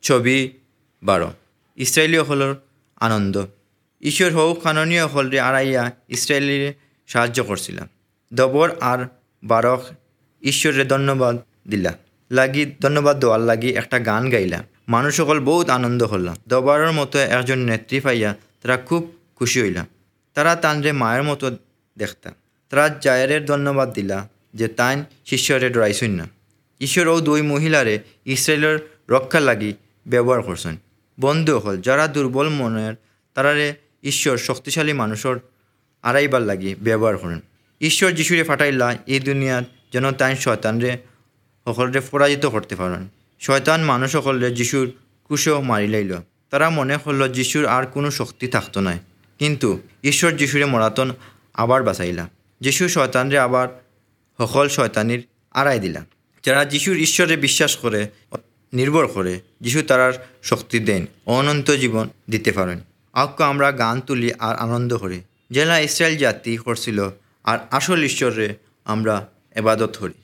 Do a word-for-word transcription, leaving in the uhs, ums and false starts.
ছবি বাৰ, ইস্ৰায়েলীসকলৰ আনন্দ। ঈশ্বৰ হৌ কাননীয়সকলৰে আড়াইয়া ইস্ৰায়েলীৰে সাহায্য করছিল। দবর আর বারক ঈশ্বরের ধন্যবাদ দিলা লাগি, ধন্যবাদ দেওয়ার লাগি একটা গান গাইলা। মানুষ সকল বহুত আনন্দ করলাম। দবারের মতো একজন নেত্রী পাইয়া তারা খুব খুশি হইলা। তারা তানরে মায়ের মতো দেখতা। তারা জায়েরের ধন্যবাদ দিলা যে তাইন শিষ্যরে ডরাইছুন না। ঈশ্বর ও দুই মহিলারে ইসরায়েলের রক্ষা লাগি ব্যবহার করছেন। বন্ধু হল, যারা দুর্বল মনের তারারে ঈশ্বর শক্তিশালী মানুষের আড়াইবার লাগি ব্যবহার করেন। ঈশ্বর যিশুরে ফাটাইলা এই দুনিয়াত যেন তাই শয়তানরে সকলরে পরাজিত করতে পারেন। শয়তান মানুষ সকলরে যিশুর কুশও মারি লাইল। তারা মনে করল যিশুর আর কোনো শক্তি থাকতো নাই, কিন্তু ঈশ্বর যিশুরে মরাতন আবার বাঁচাইলা। যিশু শয়তানরে আবার সকল শয়তানির আড়াই দিলা। যারা যিশুর ঈশ্বরে বিশ্বাস করে, নির্ভর করে, যিশু তারার শক্তি দেন, অনন্ত জীবন দিতে পারেন। আক্য আমরা গান তুলি আর আনন্দ করি, জেলা ইসরায়েল জাতি করছিল, আর আসল ঈশ্বরে আমরা এবাদত করি।